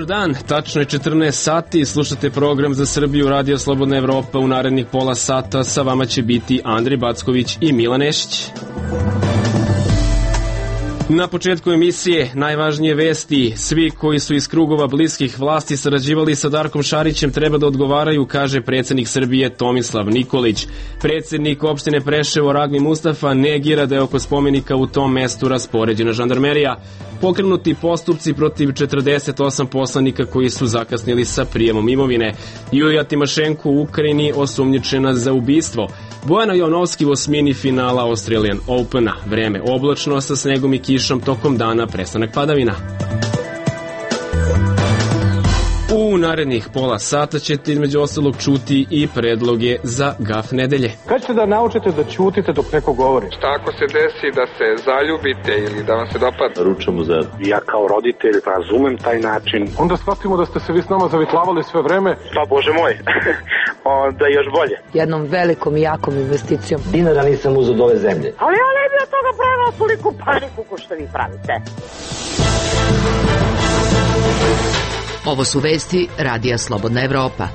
Dobar dan, tačno je 14 sati, slušate program za Srbiju Radio Slobodna Evropa. U narednih pola sata sa vama će biti Andrej Backović i Milan Nešić. Na početku emisije najvažnije vesti. Svi koji su iz krugova bliskih vlasti sarađivali sa Darkom Šarićem treba da odgovaraju, kaže predsjednik Srbije Tomislav Nikolić. Predsjednik opštine Preševo Ragmi Mustafa negira da je oko spomenika u tom mestu raspoređena žandarmerija. Pokrenuti postupci protiv 48 poslanika koji su zakasnili sa prijemom imovine. Julija Timošenko u Ukrajini osumnjičena za ubistvo. Bojana Jovnovski u osmini finala Australian Opena. Vreme oblačno sa snegom i kišom, tokom dana prestanak padavina. U narednih pola sata ćete između ostalog čuti i predloge za gaf nedelje. Kad ćete da naučite da ćutite dok neko govori? Šta ako se desi da se zaljubite ili da vam se dopadne? Ručamo za... Ja kao roditelj razumem taj način. Onda shvatimo da ste se vi s nama zavitlavali sve vreme. Pa Bože moj, onda još bolje. Jednom velikom i jakom investicijom. Dinara nisam uzeo od ove zemlje. Ali ja ne bi od toga pravila toliko paniku ko što vi pravite. Ovo su vesti Radija Slobodna Evropa.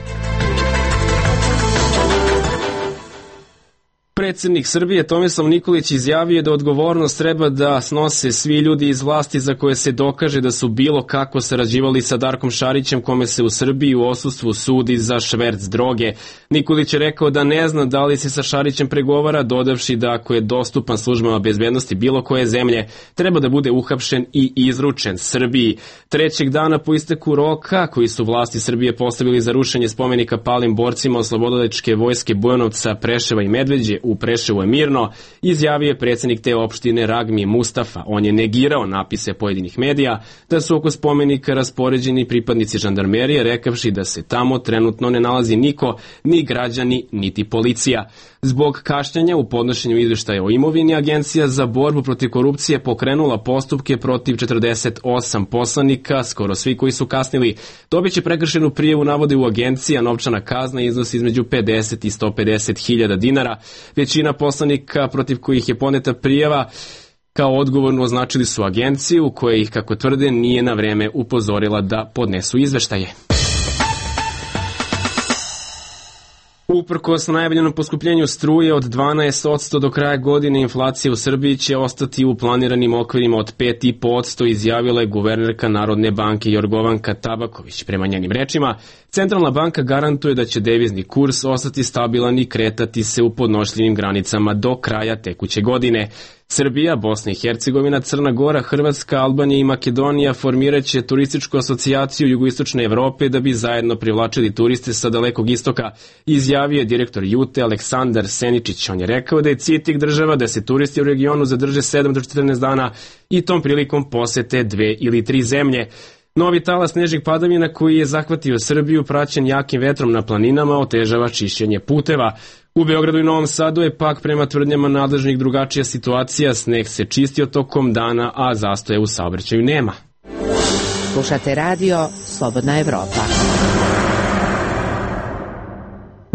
Predsjednik Srbije Tomislav Nikolić izjavio da odgovornost treba da snose svi ljudi iz vlasti za koje se dokaže da su bilo kako sarađivali sa Darkom Šarićem, kome se u Srbiji u odsustvu sudi za šverc droge. Nikolić je rekao da ne zna da li se sa Šarićem pregovara, dodavši da ako je dostupan službama bezbednosti bilo koje zemlje, treba da bude uhapšen i izručen Srbiji. Trećeg dana po isteku roka koji su vlasti Srbije postavili za rušenje spomenika palim borcima Oslobodilačke vojske Bujanovca, Preševa i Medveđe u Preševu je mirno, izjavio je predsjednik te opštine Ragmi Mustafa. On je negirao napise pojedinih medija da su oko spomenika raspoređeni pripadnici žandarmerije, rekavši da se tamo trenutno ne nalazi niko, ni građani, niti policija. Zbog kašnjenja u podnošenju izveštaja o imovini, Agencija za borbu protiv korupcije pokrenula postupke protiv 48 poslanika, skoro svi koji su kasnili. Dobit će prekršenu prijavu, navode u agenciji, a novčana kazna iznosi između 50 i 150 hiljada dinara. Većina poslanika protiv kojih je podneta prijava kao odgovorno označili su agenciju, koja ih, kako tvrde, nije na vreme upozorila da podnesu izveštaje. Uprkos najavljenom poskupljenju struje od 12% do kraja godine, inflacija u Srbiji će ostati u planiranim okvirima od 5,5%, izjavila je guvernerka Narodne banke Jorgovanka Tabaković. Prema njenim rečima, Centralna banka garantuje da će devizni kurs ostati stabilan i kretati se u podnošljivim granicama do kraja tekuće godine. Srbija, Bosna i Hercegovina, Crna Gora, Hrvatska, Albanija i Makedonija formiraće turističku asocijaciju jugoistočne Evrope da bi zajedno privlačili turiste sa Dalekog istoka, izjavio je direktor Jute Aleksandar Seničić. On je rekao da je cilj tih država da se turisti u regionu zadrže 7 do 14 dana i tom prilikom posete 2 ili 3 zemlje. Novi talas snežnih padavina koji je zahvatio Srbiju, praćen jakim vetrom na planinama, otežava čišćenje puteva. U Beogradu i Novom Sadu je pak prema tvrdnjama nadležnih drugačija situacija, sneg se čistio tokom dana, a zastoja u saobraćaju nema. Slušate radio Slobodna Evropa.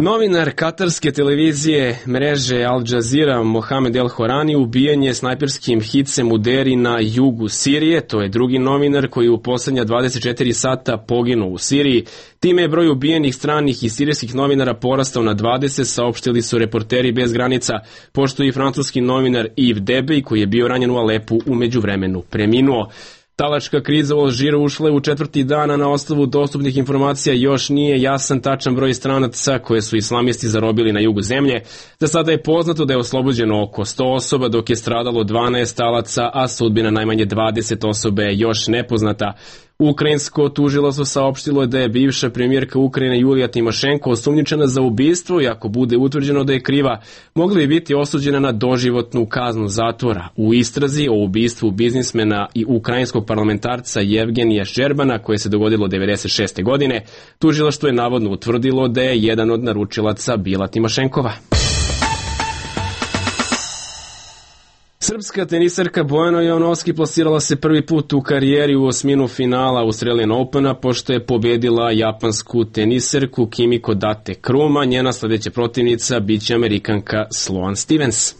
Novinar katarske televizije mreže Al Jazeera Mohamed El Horani ubijen je snajperskim hicem u Deri na jugu Sirije. To je drugi novinar koji u posljednja 24 sata poginuo u Siriji. Time je broj ubijenih stranih i sirijskih novinara porastao na 20, saopštili su Reporteri bez granica, pošto i francuski novinar Yves Debey, koji je bio ranjen u Alepu, u međuvremenu preminuo. Talačka kriza u Alžiru ušla je u 4. dana. Na osnovu dostupnih informacija još nije jasan tačan broj stranaca koje su islamisti zarobili na jugu zemlje. Za sada je poznato da je oslobođeno oko 100 osoba, dok je stradalo 12 talaca, a sudbina najmanje 20 osobe je još nepoznata. Ukrajinsko tužilaštvo saopštilo je da je bivša premijerka Ukrajine Julija Timošenko osumnjičena za ubistvo i ako bude utvrđeno da je kriva, mogla bi biti osuđena na doživotnu kaznu zatvora. U istrazi o ubistvu biznismena i ukrajinskog parlamentarca Jevgenija Ščerbana, koje se dogodilo 1996. godine, tužilaštvo je navodno utvrdilo da je jedan od naručilaca bila Timošenkova. Srpska tenisarka Bojana Jovnovski plasirala se prvi put u karijeri u osminu finala Australian Opena, pošto je pobjedila japansku tenisarku Kimiko Date Kruma. Njena sljedeća protivnica biće Amerikanka Sloane Stevens.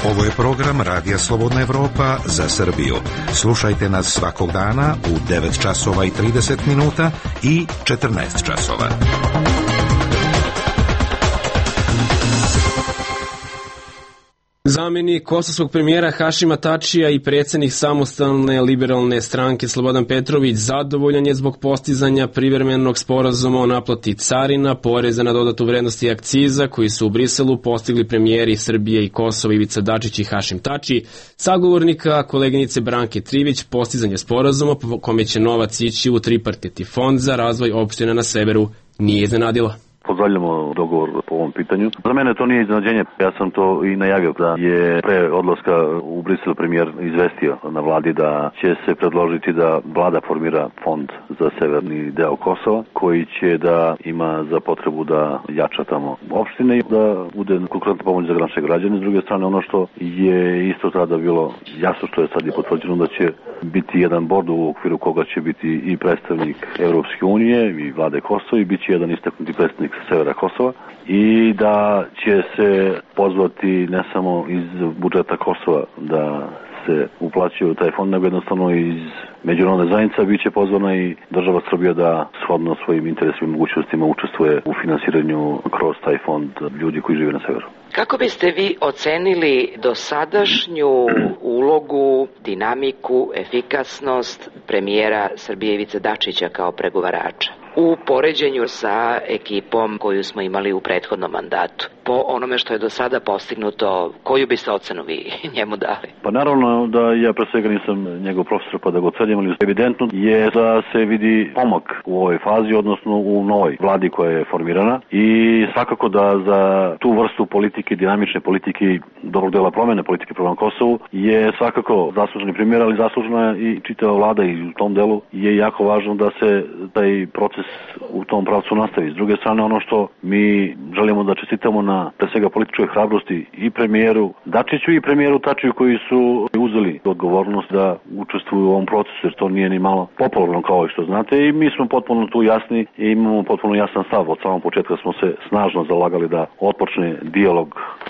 Ovo je program Radija Slobodna Evropa za Srbiju. Slušajte nas svakog dana u 9 časova i 30 minuta i 14 časova. Zamjenik kosovskog premijera Hašima Tačija i predsjednik samostalne liberalne stranke Slobodan Petrović zadovoljan je zbog postizanja privremenog sporazuma o naplati carina, poreza na dodatu vrednost i akciza koji su u Briselu postigli premijeri Srbije i Kosova Ivica Dačić i Hašim Tači. Sagovornika koleginice Branke Trivić postizanje sporazuma po kome će novac ići u tripartitni fond za razvoj opština na severu nije iznenadila. Pozdravljamo dogovor po ovom pitanju. Za mene to nije iznenađenje. Ja sam to i najavio da je pre odlaska u Brisel premijer izvestio na vladi da će se predložiti da vlada formira fond za severni deo Kosova koji će da ima za potrebu da jača tamo opštine i da bude konkretna pomoć za naše građane. S druge strane, ono što je isto tada bilo jasno, što je sad i potvrđeno, da će biti jedan bord u okviru koga će biti i predstavnik Evropske unije i vlade Kosova i bit će jedan istaknuti predstavnik severa Kosova i da će se pozvati ne samo iz budžeta Kosova da se uplaćuje u taj fond, nego jednostavno iz međunarodne zajednice bit će pozvana i država Srbija da shodno svojim interesima i mogućnostima učestvuje u finansiranju kroz taj fond ljudi koji žive na severu. Kako biste vi ocenili dosadašnju ulogu, dinamiku, efikasnost premijera Srbije Ivice Dačića kao pregovarača u poređenju sa ekipom koju smo imali u prethodnom mandatu? Po onome što je do sada postignuto, koju biste ocenu vi njemu dali? Pa naravno da ja pre svega nisam njegov profesor pa da ga ocenim, ali evidentno je da se vidi pomak u ovoj fazi, odnosno u novoj vladi koja je formirana i svakako da za tu vrstu politike, dinamične politike i dobrog dela promene politike prema Kosovu je svakako zasluženi primjer, ali zaslužena i čitava vlada i u tom delu je jako važno da se taj proces u tom pravcu nastavi. S druge strane, ono što mi želimo da čestitamo na pre svega političkoj hrabrosti i premijeru Dačiću i premijeru Tačiju koji su uzeli odgovornost da učestvuju u ovom procesu, jer to nije ni malo popularno kao što znate i mi smo potpuno tu jasni i imamo potpuno jasan stav. Od samog početka smo se snažno zalagali da otpočne dijalog,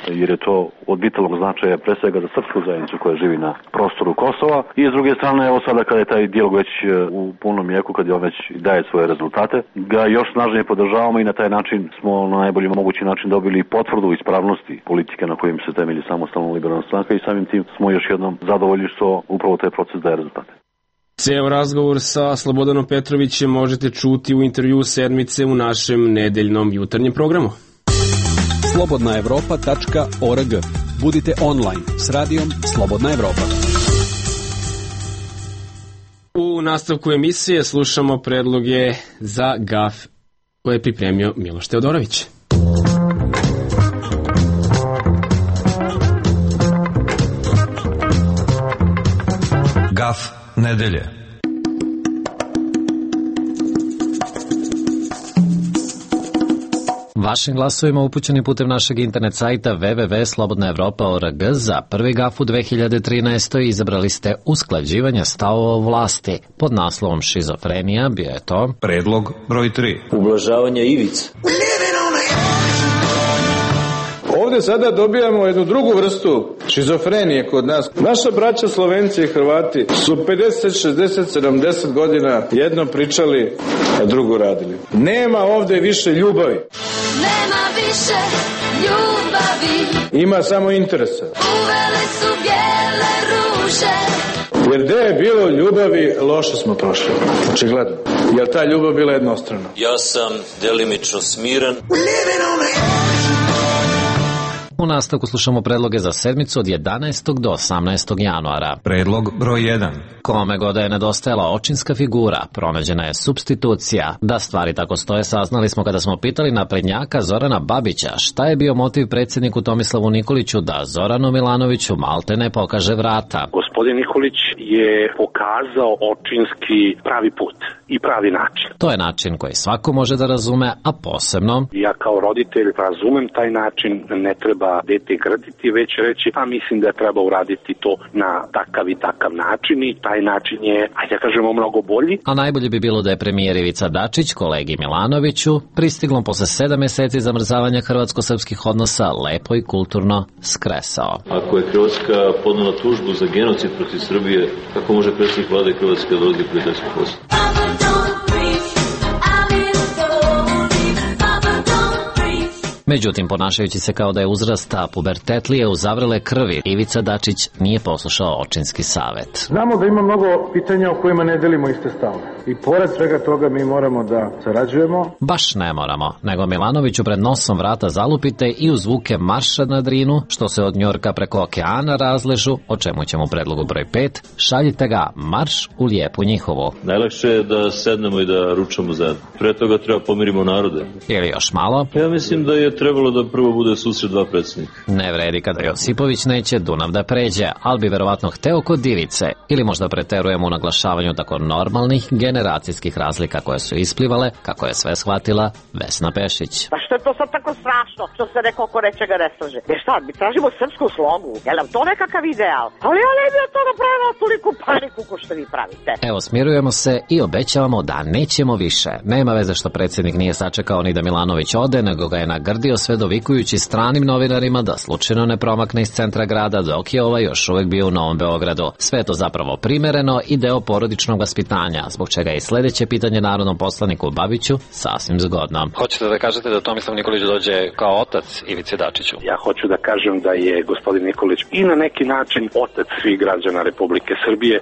jer je to od vitalnog značaja pre svega za srpsku zajednicu koja živi na prostoru Kosova i s druge strane, evo sada kada je taj dijalog već u punom jeku, kad je on već daje svoje rezultate, ga još snažnije podržavamo i na taj način smo na najbolji mogući način dobili potvrdu ispravnosti politike na kojim se temelji samostalna liberalna stranka i samim tim smo još jednom zadovoljni što upravo taj proces daje rezultate. Ceo razgovor sa Slobodanom Petrovićem možete čuti u intervju sedmice u našem nedeljnom jutarnjem programu. slobodnaevropa.org. Budite online s radijom Slobodna Evropa. U nastavku emisije slušamo predloge za GAF koje je pripremio Miloš Teodorović. GAF nedelje. Vašim glasovima upućeni putem našeg internet sajta www.slobodnaevropa.org za prvi GAF u 2013. izabrali ste usklađivanje stavova vlasti. Pod naslovom šizofrenija bio je to predlog broj 3. Ublažavanje ivica. Ovdje sada dobijamo jednu drugu vrstu šizofrenije kod nas. Naša braća Slovenci i Hrvati su 50, 60, 70 godina jedno pričali, a drugo radili. Nema ovdje više ljubavi. Nema više ljubavi. Ima samo interesa. Uvele su bijele ruže. Jer gde je bilo ljubavi, loše smo prošli. Očigledno. Jer ta ljubav bila jednostrana. Ja sam delimično smiren. U nastavku slušamo predloge za sedmicu od 11. do 18. januara. Predlog broj 1. Kome god je nedostajala očinska figura, pronađena je supstitucija. Da stvari tako stoje saznali smo kada smo pitali naprednjaka Zorana Babića šta je bio motiv predsjedniku Tomislavu Nikoliću da Zoranu Milanoviću maltene pokaže vrata. Gospodin Nikolić je pokazao očinski pravi put i pravi način. To je način koji svako može da razume, a posebno... Ja kao roditelj razumem taj način, ne treba dete grditi, već reći, pa mislim da treba uraditi to na takav i takav način i taj način je, ajde da kažemo, mnogo bolji. A najbolje bi bilo da je premijer Ivica Dačić kolegi Milanoviću pristiglom posle 7 meseci zamrzavanja hrvatsko-srpskih odnosa lepo i kulturno skresao. Ako je Hrvatska podnela tužbu za genocid protiv Srbije, kako može predsjednik vlade Hrvatske da odi prijateljsku poslu? Međutim, ponašajući se kao da je uzrasta pubertetlije u zavrele krvi, Ivica Dačić nije poslušao očinski savet. Znamo da ima mnogo pitanja o kojima ne delimo iste stavove. I pored svega toga mi moramo da sarađujemo. Baš ne moramo, nego Milanoviću pred nosom vrata zalupite i u zvuke marša na Drinu, što se od Njorka preko okeana razležu, o čemu ćemo u predlogu broj 5, šaljite ga marš u lijepu njihovu. Najlakše je da sednemo i da ručamo zajedno. Pre toga treba pomirimo narode. Ili još malo. Ja mislim da je trebalo da prvo bude susret dva predsjednika. Ne vredi kada Josipović neće Dunav da pređe, ali bi verovatno hteo kod Ivice, ili možda preterujemo u naglašavanju tako normalnih generacijskih razlika koje su isplivale, kako je sve shvatila Vesna Pešić. Pa što je to sad tako strašno, što se neko oko nečega ne slaže? Jer šta, mi tražimo srpsku slogu, je nam to nekakav ideal? Ali ja ne bi od toga pravila toliku paniku ko što vi pravite. Evo, smirujemo se i obećavamo da nećemo više. Nema veze što predsjednik nije sačekao ni da Milanović ode, nego ga je nagrdio sve dovikujući stranim novinarima da slučajno ne promakne iz centra grada dok je ovaj još uvek bio u Novom Beogradu. Sve je to zapravo primereno i deo porodičnog vaspitanja, zbog čega je i sledeće pitanje narodnom poslaniku Babiću sasvim zgodno. Hoćete da kažete da Tomislav Nikolić dođe kao otac Ivici Dačiću? Ja hoću da kažem da je gospodin Nikolić i na neki način otac svih građana Republike Srbije.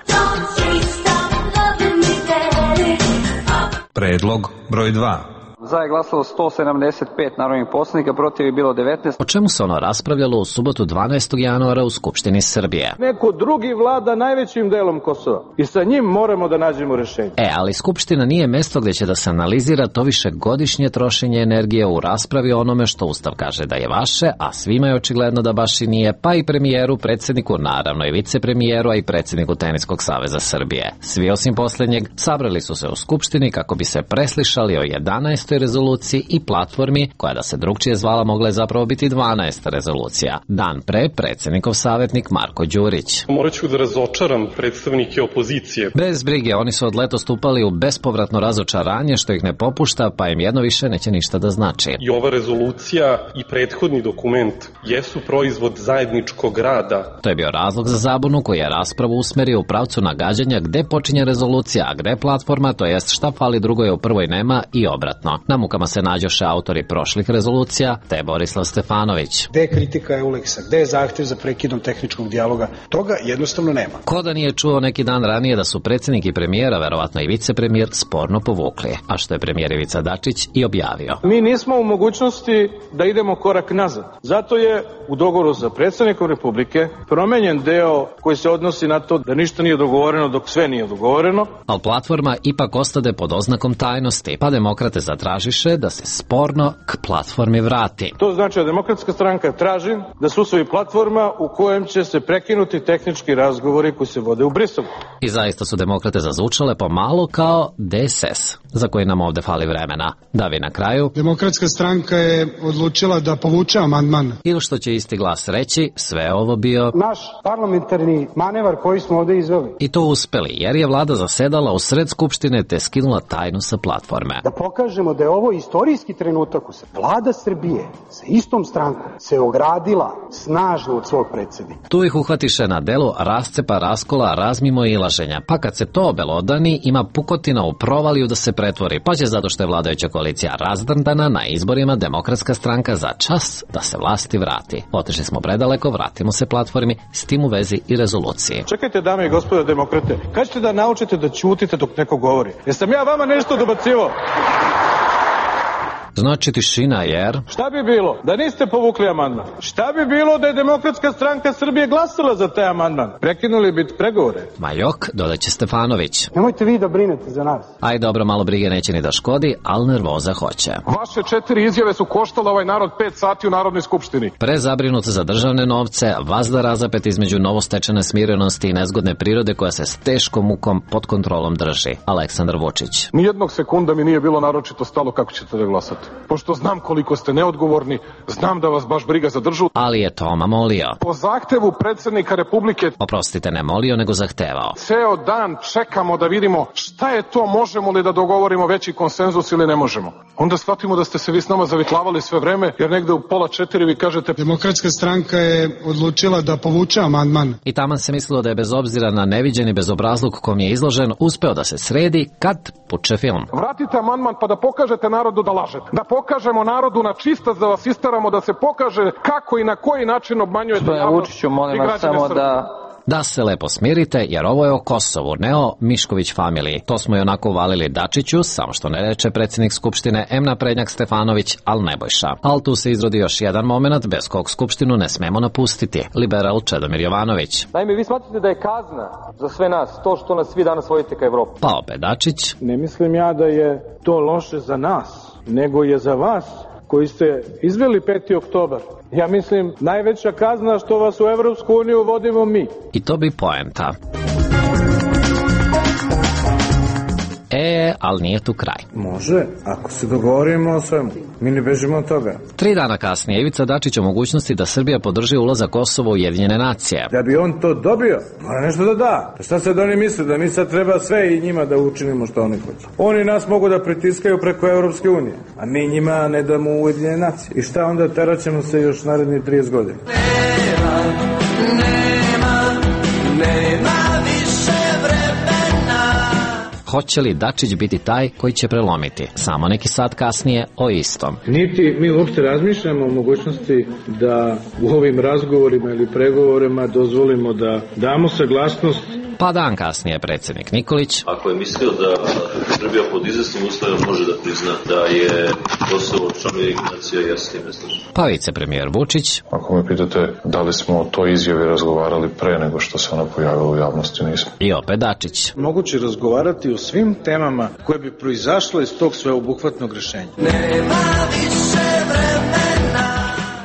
Predlog broj 2. Za je glasalo 175 narodnih poslanika, protiv je bilo 19. O čemu se ono raspravljalo u subotu 12. januara u Skupštini Srbije? Neko drugi vlada najvećim delom Kosova i sa njim moramo da nađemo rešenje. Ali Skupština nije mesto gde će da se analizira to višegodišnje trošenje energije u raspravi o onome što Ustav kaže da je vaše, a svima je očigledno da baš i nije, pa i premijeru, predsjedniku, naravno i vicepremijeru, a i predsjedniku Teniskog saveza Srbije. Svi osim poslednjeg sabrali su se u Skupštini kako bi se preslišali o 11. rezoluciji i platformi, koja da se drugčije zvala mogla je zapravo biti 12. rezolucija. Dan pre, predsjednikov savjetnik Marko Đurić. Morat ću da razočaram predstavnike opozicije. Bez brige, oni su od letos stupali u bespovratno razočaranje što ih ne popušta, pa im jedno više neće ništa da znači. I ova rezolucija i prethodni dokument jesu proizvod zajedničkog rada. To je bio razlog za zabunu koji je raspravu usmerio u pravcu nagađanja gde počinje rezolucija, a gde platforma, to jest šta fali drugoj u prvoj nema i obratno. Na mukama se nađoše autori prošlih rezolucija, te Borislav Stefanović. Gde je kritika Euleksa, gde je zahtev za prekidom tehničkog dijaloga, toga jednostavno nema. Ko da nije čuo neki dan ranije da su predsjednik i premijera, verovatno i vicepremijer, sporno povukli, a što je premijer Ivica Dačić i objavio. Mi nismo u mogućnosti da idemo korak nazad. Zato je u dogovoru sa predsjednikom Republike promenjen deo koji se odnosi na to da ništa nije dogovoreno dok sve nije dogovoreno. Ali platforma ipak ostade pod oznakom tajnosti, pa demokrate zatražiše da se sporno k platformi vrati. To znači da Demokratska stranka traži da se usvoji platforma u kojem će se prekinuti tehnički razgovori koji se vode u Briselu. I zaista su demokrate zazvučale pomalo kao DSS, za koji nam ovde fali vremena. Da vi na kraju... Demokratska stranka je odlučila da povuče amandman. Ili što će isti glas reći, sve ovo bio... naš parlamentarni manevar koji smo ovde izveli. I to uspeli, jer je vlada zasedala u sred Skupštine te skinula tajnu sa platforme. Da pokažemo da je ovo istorijski trenutak u se vlada Srbije sa istom strankom se ogradila snažno od svog predsjednika. Tu ih uhvatiše na delu rascepa, raskola, razmimo i ilaženja. Pa kad se to obelodani, ima pukotina u provaliju da se pretvori, pa će zato što je vladajuća koalicija razdrndana na izborima Demokratska stranka za čas da se vlasti vrati. Otišli smo predaleko, vratimo se platformi, s tim u vezi i rezoluciji. Čekajte, dame i gospodo demokrate, kad ćete da naučite da ćutite dok neko govori? Jesam ja vama nešto dobacivo? Znači tišina jer... Šta bi bilo da niste povukli amandman? Šta bi bilo da je Demokratska stranka Srbije glasala za taj amandman? Prekinuli bi pregovore. Majok, dodaće Stefanović. Nemojte vi da brinete za nas. Aj dobro, malo brige neće ni da škodi, ali nervoza hoće. Vaše 4 izjave su koštale ovaj narod 5 sati u Narodnoj skupštini. Prezabrinut za državne novce, vazda razapet između novostečene smirenosti i nezgodne prirode koja se s teškom mukom pod kontrolom drži. Aleksandar Vučić. Nijednog sekunda mi nije bilo naročito stalo kako ćete da glasate. pošto znam koliko ste neodgovorni, znam da vas baš briga za državu. Ali je Toma molio. Po zahtevu predsjednika Republike... Oprostite, ne molio, nego zahtevao. Ceo dan čekamo da vidimo šta je to, možemo li da dogovorimo veći konsenzus ili ne možemo. Onda shvatimo da ste se vi s nama zavitlavali sve vreme, jer negde u 3:30 vi kažete... Demokratska stranka je odlučila da povuče amandman. I taman se mislilo da je bez obzira na neviđeni bezobrazluk kom je izložen, uspeo da se sredi kad puče film. Vratite amandman pa da pokažete narodu da lažete. Da pokažemo narodu na čistac, da vas isteramo, da se pokaže kako i na koji način obmanjujete javnost. Vučiću, molim vas samo da se lepo smirite, jer ovo je o Kosovu, ne o Mišković familiji. To smo i onako valili Dačiću, samo što ne reče predsjednik Skupštine naprednjak Stefanović, al Nebojša. Al tu se izrodi još jedan moment bez kog Skupštinu ne smemo napustiti. Liberal Čedomir Jovanović. Naime, vi smatrate da je kazna za sve nas to što nas vi danas vodite ka Evropi? Pa opet Dačić. Ne mislim ja da je to loše za nas, nego je za vas koji ste izveli 5. oktobar. Ja mislim, najveća kazna što vas u Evropsku uniju vodimo mi. I to bi poenta. Ali nije tu kraj. Može, ako se dogovorimo o svemu. Mi ne bežimo od toga. 3 dana kasnije Ivica Dačić o mogućnosti da Srbija podrži ulazak Kosova u Ujedinjene nacije. Da bi on to dobio, mora nešto da da. Šta sad oni misle? Da mi sad treba sve i njima da učinimo što oni hoće. Oni nas mogu da pritiskaju preko Evropske unije, a mi njima ne damo u Ujedinjene nacije. I šta onda, teraćemo se još narednih 30 godina. Nema više vremena. Hoće li Dačić biti taj koji će prelomiti? Samo neki sat kasnije o istom. Niti mi uopšte razmišljamo o mogućnosti da u ovim razgovorima ili pregovorima dozvolimo da damo saglasnost. Pa dan kasnije predsjednik Nikolić. Ako je mislio da Srbija pod izvesnim uslovima može da prizna da je Kosovo član Ujedinjenih nacija, ja s tim ne slažem. Pa vicepremijer Vučić. Ako me pitate da li smo o toj izjavi razgovarali pre nego što se ona pojavila u javnosti, nismo. I opet Dačić. Moguće razgovarati o svim temama koje bi proizašle iz tog sveobuhvatnog rešenja. Nema više vremena.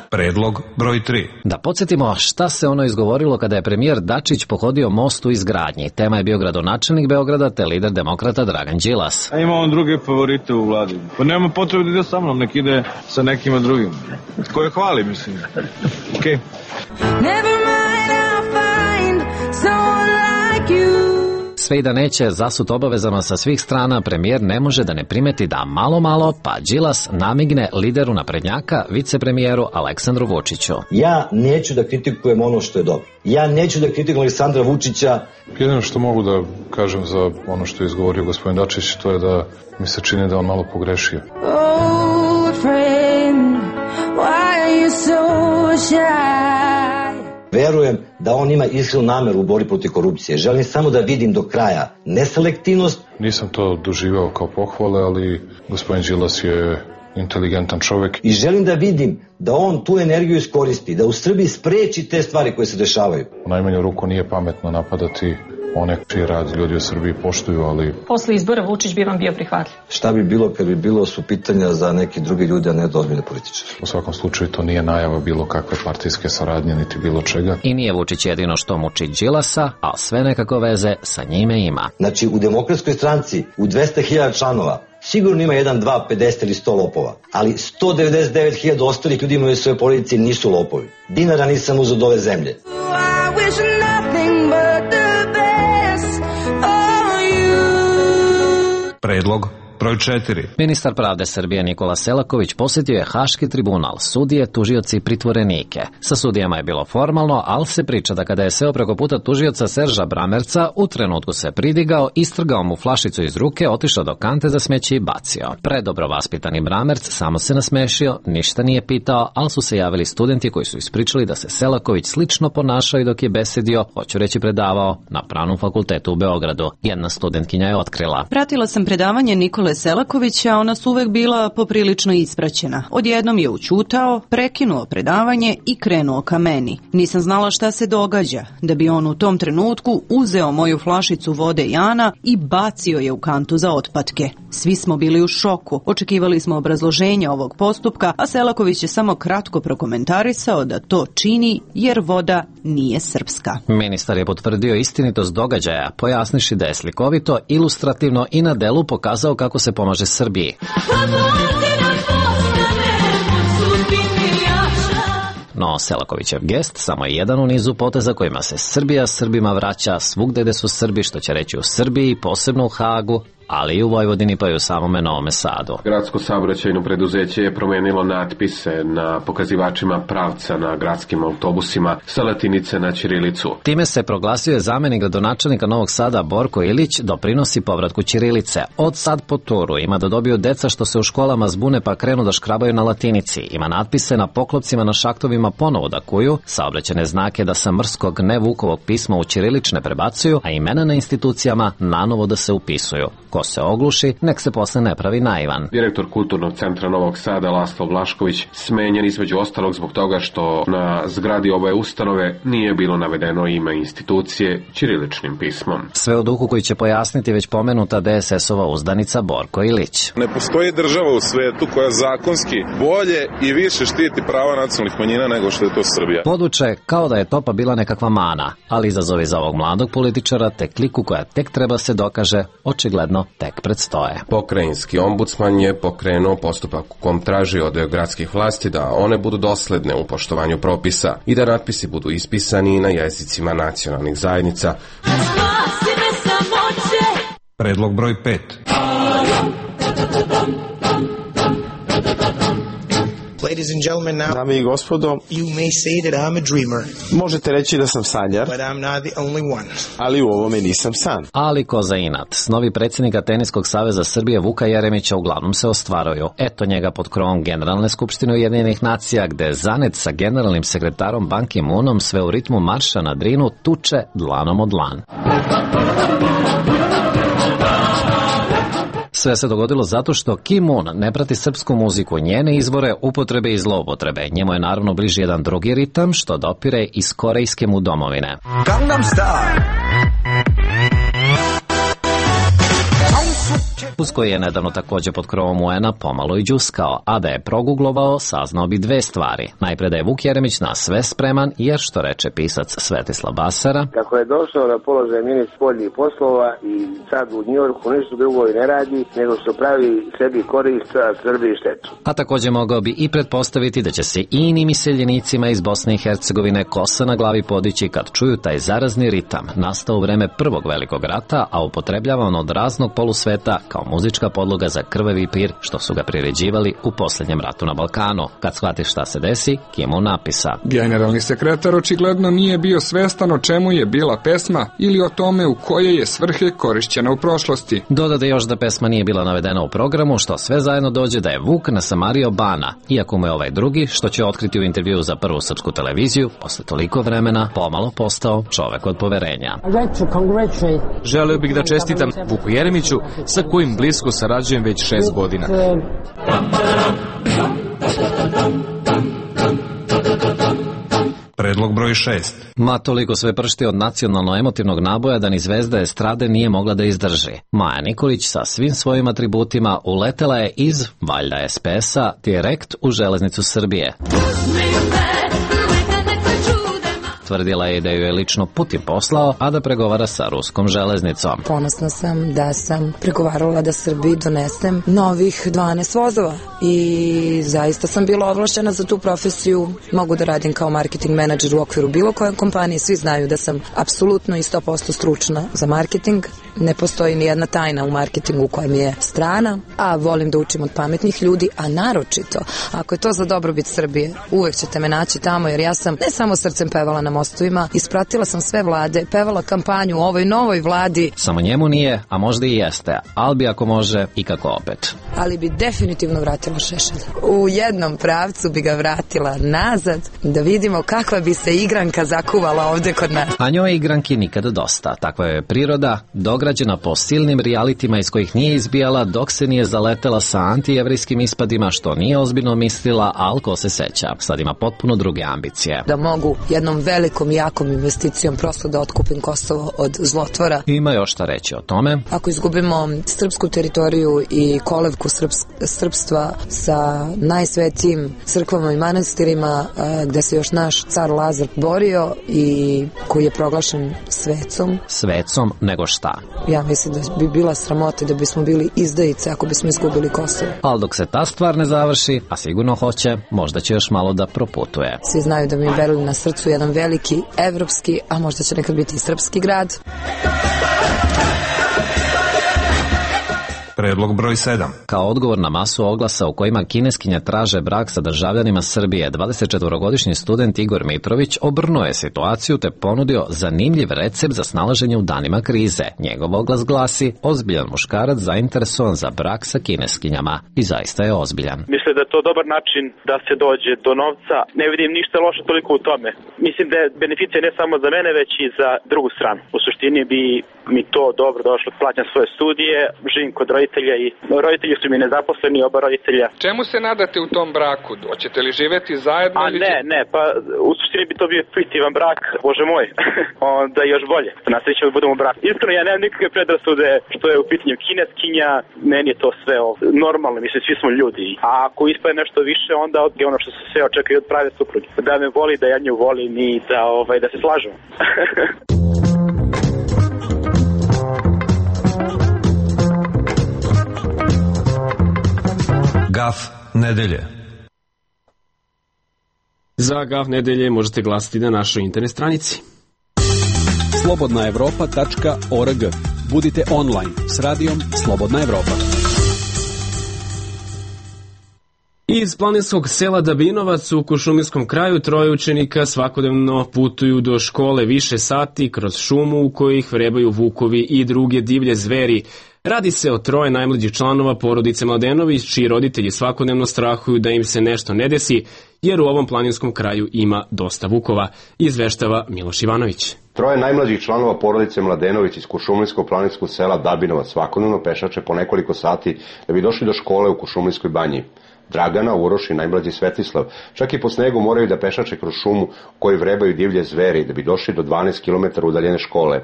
Predlog broj 3. Da podsjetimo šta se ono izgovorilo kada je premijer Dačić pohodio most u izgradnji. Tema je bio gradonačelnik Beograda te lider demokrata Dragan Đilas. A ima on druge favorite u vladi. Pa nema potrebe da ide sa mnom, nek ide sa nekima drugim. Koje hvali, mislim. Okej. Never mind, I'll find someone like you. Sve i da neće zasut obavezama sa svih strana, premijer ne može da ne primeti da malo, pa Đilas namigne lideru naprednjaka, vicepremijeru Aleksandru Vučiću. Ja neću da kritikujem ono što je dobro. Ja neću da kritikujem Aleksandra Vučića. Jedino što mogu da kažem za ono što je izgovorio gospodin Dačić, to je da mi se čini da on malo pogrešio. Old friend, why are you so shy? Verujem da on ima iskrenu nameru u borbi protiv korupcije. Želim samo da vidim do kraja neselektivnost. Nisam to doživao kao pohvale, ali gospodin Đilas je inteligentan čovjek. I želim da vidim da on tu energiju iskoristi, da u Srbiji spreči te stvari koje se dešavaju. U najmanju ruku nije pametno napadati one čiji rad ljudi u Srbiji poštuju, ali... Posle izbora Vučić bi vam bio prihvatljiv. Šta bi bilo kad bi bilo su pitanja za neki drugi ljudi, a ne da ozbiljne političari? U svakom slučaju to nije najava bilo kakve partijske saradnje, niti bilo čega. I nije Vučić jedino što muči Đilasa, a sve nekako veze sa njime ima. Znači, u Demokratskoj stranci, u 200.000 članova, sigurno ima 1, 2, 50 ili 100 lopova, ali 199.000 ostalih ljudi imaju svoje porodice i nisu lopovi. Dinara nisam uzeo od ove zemlje. Predlog broj 4. Ministar pravde Srbije Nikola Selaković posjetio je Haški tribunal, sudije, tužioci i pritvorenike. Sa sudijama je bilo formalno, ali se priča da kada je seo preko puta tužioca Serža Bramerca, u trenutku se pridigao, istrgao mu flašicu iz ruke, otišao do kante za smeće i bacio. Predobro vaspitani Bramerc samo se nasmešio, ništa nije pitao, ali su se javili studenti koji su ispričali da se Selaković slično ponašao i dok je besedio, hoću reći predavao, na Pravnom fakultetu u Beogradu. Jedna studentkinja je otkrila. Pratila sam predavanje Nikole Selakovića, ona su uvek bila poprilično ispraćena. Odjednom je učutao, prekinuo predavanje i krenuo ka meni. Nisam znala šta se događa, da bi on u tom trenutku uzeo moju flašicu vode Jana i bacio je u kantu za otpatke. Svi smo bili u šoku, očekivali smo obrazloženje ovog postupka, a Selaković je samo kratko prokomentarisao da to čini jer voda nije srpska. Ministar je potvrdio istinitost događaja, pojasniši da je slikovito, ilustrativno i na delu pokazao kako se pomaže Srbiji. No Selakovićev gest samo je jedan u nizu poteza kojima se Srbija Srbima vraća svugde gde su Srbi, što će reći u Srbiji, posebno u Hagu, ali i u Vojvodini pa i u samome Novome Sadu. Gradsko saobraćajno preduzeće je promenilo natpise na pokazivačima pravca na gradskim autobusima sa latinice na ćirilicu. Time se proglasio zamenik gradonačelnika Novog Sada Borko Ilić doprinosi povratku ćirilice. Od sad po turu ima da dobiju deca što se u školama zbune pa krenu da škrabaju na latinici. Ima natpise na poklopcima na šaktovima ponovo da kuju, saobraćajne znake da sa mrskog ne Vukovog pisma u ćirilične prebacuju, a imena na institucijama nanovo da se upisuju. Ko se ogluši, nek se posle ne pravi naivan. Direktor Kulturnog centra Novog Sada Laslo Vlašković smenjen između ostalog zbog toga što na zgradi ove ustanove nije bilo navedeno ime institucije ćiriličnim pismom. Sve u duhu koji će pojasniti već pomenuta DSS-ova uzdanica Borko Ilić. Ne postoji država u svetu koja zakonski bolje i više štiti prava nacionalnih manjina nego što je to Srbija. Podvuče kao da je Topa bila nekakva mana, ali izazovi za ovog mladog političara te kliku koja tek treba se dokaže, očigledno tek predstoje. Pokrajinski ombudsman je pokrenuo postupak u kom traži od gradskih vlasti da one budu dosledne u poštovanju propisa i da natpisi budu ispisani na jezicima nacionalnih zajednica. Predlog broj 5. Ladies and gentlemen, now, dame i gospodo, you may say that I'm a dreamer, možete reći da sam sanjar, but I'm not the only one. Ali u ovome nisam san. Ali ko za inat. Snovi predsjednika Teniskog saveza Srbije Vuka Jeremića uglavnom se ostvaruju. Eto njega pod krovom Generalne skupštine Ujedinjenih nacija, gde zanet sa generalnim sekretarom Ban Ki-moonom sve u ritmu marša na Drinu tuče dlanom od dlan. Sve se dogodilo zato što Ki-moon ne prati srpsku muziku, njene izvore, upotrebe i zloupotrebe. Njemu je naravno bliži jedan drugi ritam što dopire iz korejske mu domovine. Gangnam Style. Uz koji je nedavno također pod krovom UN-a pomalo i džuskao, a da je proguglovao, saznao bi dve stvari. Najpre da je Vuk Jeremić na sve spreman, jer što reče pisac Svetislav Basara, kako je došao na položaj ministra spoljnih poslova i sad u Njujorku ništa drugo i ne radi, nego što pravi sebi korist, a Srbiji štetu. A također mogao bi i pretpostaviti da će se i inim iseljenicima iz Bosne i Hercegovine kosa na glavi podići kad čuju taj zarazni ritam, nastao u vreme Prvog velikog rata, a upotrebljavan od raznog polusveta kao muzička podloga za krvavi pir što su ga priređivali u posljednjem ratu na Balkanu. Kad shvatiš šta se desi, Ki-moon napisa. Generalni sekretar očigledno nije bio svestan o čemu je bila pesma ili o tome u koje je svrhe korišćena u prošlosti. Dodade još da pesma nije bila navedena u programu, što sve zajedno dođe da je Vuk nasamario Bana, iako mu je ovaj drugi, što će otkriti u intervjuu za Prvu srpsku televiziju, posle toliko vremena pomalo postao čovek od poverenja. Želeo bih da čestitam Vuku Jeremiću, sa kojim blisko sarađujem već 6 godina. Predlog broj 6. Ma toliko sve pršti od nacionalno-emotivnog naboja da ni zvezda estrade nije mogla da izdrži. Maja Nikolić sa svim svojim atributima uletela je iz, valjda SPS-a, direkt u železnicu Srbije. Tvrdila je da ju je lično Putin poslao, a da pregovara sa ruskom železnicom. Ponosna sam da sam pregovarala da Srbiji donesem novih 12 vozova i zaista sam bila ovlašćena za tu profesiju. Mogu da radim kao marketing menadžer u okviru bilo koje kompanije. Svi znaju da sam apsolutno i 100% stručna za marketing. Ne postoji ni jedna tajna u marketingu koja mi je strana, a volim da učim od pametnih ljudi, a naročito, ako je to za dobrobit Srbije, uvek ćete me naći tamo, jer ja sam ne samo srcem pevala na mostovima, ispratila sam sve vlade, pevala kampanju u ovoj novoj vladi. Samo njemu nije, a možda i jeste, ali bi ako može i kako opet. Ali bi definitivno vratila Šešelja. U jednom pravcu bi ga vratila nazad, da vidimo kakva bi se igranka zakuvala ovde kod nas. A njoj igranki nikada dosta, takva je priroda, dograđena po silnim realitima iz kojih nije izbijala dok se nije zaletela sa antijevrijskim ispadima, što nije ozbiljno mislila, ali ko se seća, sad ima potpuno druge ambicije. Da mogu jednom velikom velikom i jakom investicijom prosto da otkupim Kosovo od zlotvora. Ima još šta reći o tome. Ako izgubimo srpsku teritoriju i kolevku srpstva sa najsvetijim crkvama i manastirima gde se još naš car Lazar borio i koji je proglašen svecom. Svecom nego šta? Ja mislim da bi bila sramota, da bismo bili izdajice ako bismo izgubili Kosovo. Ali dok se ta stvar ne završi, a sigurno hoće, možda će još malo da proputuje. Svi znaju da mi je Berlin na srcu jedan veliki evropski, a možda će nekad biti i srpski grad. Predlog broj 7. Kao odgovor na masu oglasa u kojima kineskinja traže brak sa državljanima Srbije, 24-godišnji student Igor Mitrović obrnuo je situaciju te ponudio zanimljiv recept za snalaženje u danima krize. Njegov oglas glasi: ozbiljan muškarac zainteresovan za brak sa kineskinjama. I zaista je ozbiljan. Mislim da je to dobar način da se dođe do novca. Ne vidim ništa loše toliko u tome. Mislim da je beneficija ne samo za mene, već i za drugu stranu. U suštini bi mi to dobro došlo, plaćam svoje studije, živim kod roditelja i roditelji su mi nezaposleni, oba roditelja. Čemu se nadate u tom braku? Hoćete li živeti zajedno? Ne, pa u suštini bi to bio fiktivan brak, bože moj, onda još bolje. Na sreću da budemo brak. Iskreno, ja nemam nikakve predrasude što je u pitanju kineskinja, meni je to sve normalno, mislim, svi smo ljudi. A ako ispade nešto više, onda je ono što se sve očekuje od prave supruge. Da me voli, da ja nju volim i da se slažemo. Gaf nedelje. Za Gaf nedelje možete glasati na našoj internet stranici. slobodnaevropa.org. Budite online s radijom Slobodna Evropa. Iz planinskog sela Dabinovac u Kuršumirskom kraju troje učenika svakodnevno putuju do škole više sati kroz šumu u kojoj ih vrebaju vukovi i druge divlje zveri. Radi se o troje najmlađih članova porodice Mladenović, čiji roditelji svakodnevno strahuju da im se nešto ne desi, jer u ovom planinskom kraju ima dosta vukova, izveštava Miloš Ivanović. Troje najmlađih članova porodice Mladenović iz Kuršumlinskog planinskog sela Dabinovac svakodnevno pešače po nekoliko sati da bi došli do škole u Kuršumlinskoj banji. Dragana, Uroš i najmlađi Svetislav čak i po snegu moraju da pešače kroz šumu u kojoj vrebaju divlje zveri da bi došli do 12 km udaljene škole.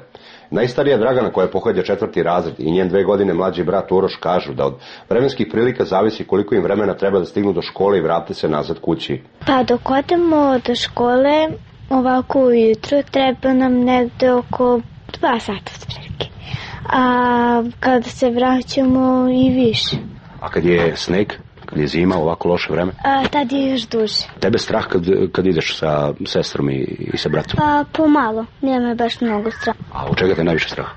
Najstarija Dragana, koja pohađa 4. razred, i njen 2 godine mlađi brat Uroš kažu da od vremenskih prilika zavisi koliko im vremena treba da stignu do škole i vrate se nazad kući. Pa dok odemo do škole, ovako ujutru, treba nam negde oko 2 sata otprilike. A kada se vraćamo i više. A kad je sneg? Kad je zima, ovako loše vreme? Tad je još duže. Tebe strah kad ideš sa sestrom i sa bratom? Pa pomalo, nema baš mnogo straha. A od čega te najviše strah?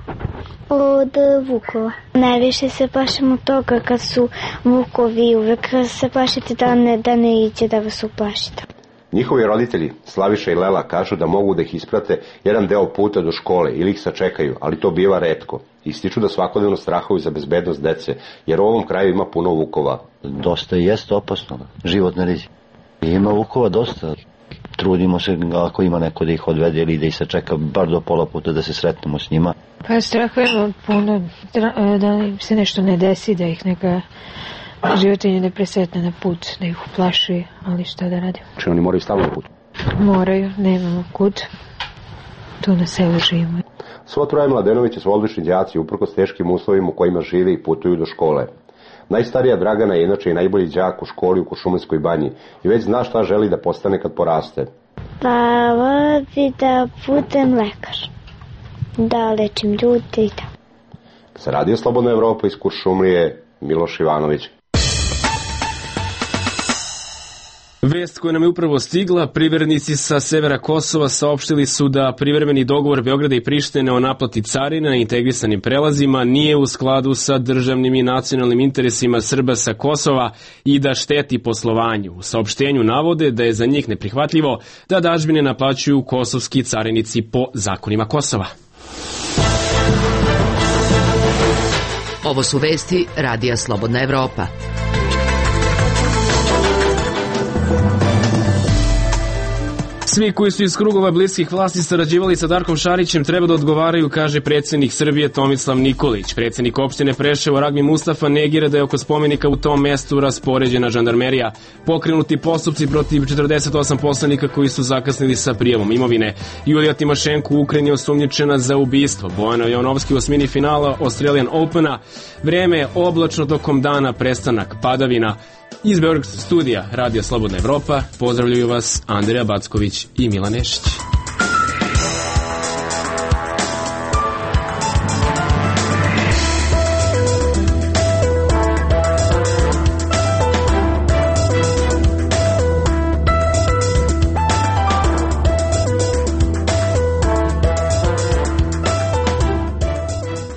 Od vukova. Najviše se plašim od toga kad su vukovi, uvek se plašite da ne iće da vas uplašite. Njihovi roditelji, Slaviša i Lela, kažu da mogu da ih isprate jedan deo puta do škole ili ih sačekaju, ali to biva retko. Ističu da svakodnevno strahuju za bezbednost dece, jer u ovom kraju ima puno vukova. Dosta jeste opasno, životne rizik. Ima vukova dosta. Trudimo se ako ima neko da ih odvede ili da ih sačeka bar do pola puta da se sretnemo s njima. Pa strahujemo puno da im se nešto ne desi, da ih neka životinje ne presretne na put, da ih uplaši, ali šta da radimo? Či oni moraju stalno na put? Moraju, nemamo kud. Tu na selu živimo. Svo troje Mladenovića su odlični đaci uprkos teškim uslovima u kojima žive i putuju do škole. Najstarija Dragana je inače i najbolji đak u školi u Kuršumlinskoj banji i već zna šta želi da postane kad poraste. Pa vola bi da budem lekar, da lečim ljude i tako. Sa Radio Slobodna Evropa iz Kuršumlije, Miloš Ivanović. Vest koja nam je upravo stigla, privrednici sa severa Kosova saopštili su da privremeni dogovor Beograda i Prištine o naplati carina na integrisanim prelazima nije u skladu sa državnim i nacionalnim interesima Srba sa Kosova i da šteti poslovanju. U saopštenju navode da je za njih neprihvatljivo da dažbine naplaćuju kosovski carinici po zakonima Kosova. Ovo su vesti Radija Slobodna Evropa. Svi koji su iz krugova bliskih vlasti sarađivali sa Darkom Šarićem treba da odgovaraju, kaže predsjednik Srbije Tomislav Nikolić. Predsjednik opštine Preševo Ragmi Mustafa negira da je oko spomenika u tom mestu raspoređena žandarmerija. Pokrenuti postupci protiv 48 poslanika koji su zakasnili sa prijavom imovine. Julija Timošenko u Ukrajini osumnjičena za ubistvo. Bojana Jonovski u osmini finala Australian Opena. Vreme je oblačno tokom dana, prestanak padavina. Iz Beogradskog studija Radija Slobodna Evropa pozdravljaju vas Andreja Backović i Milan Nešić.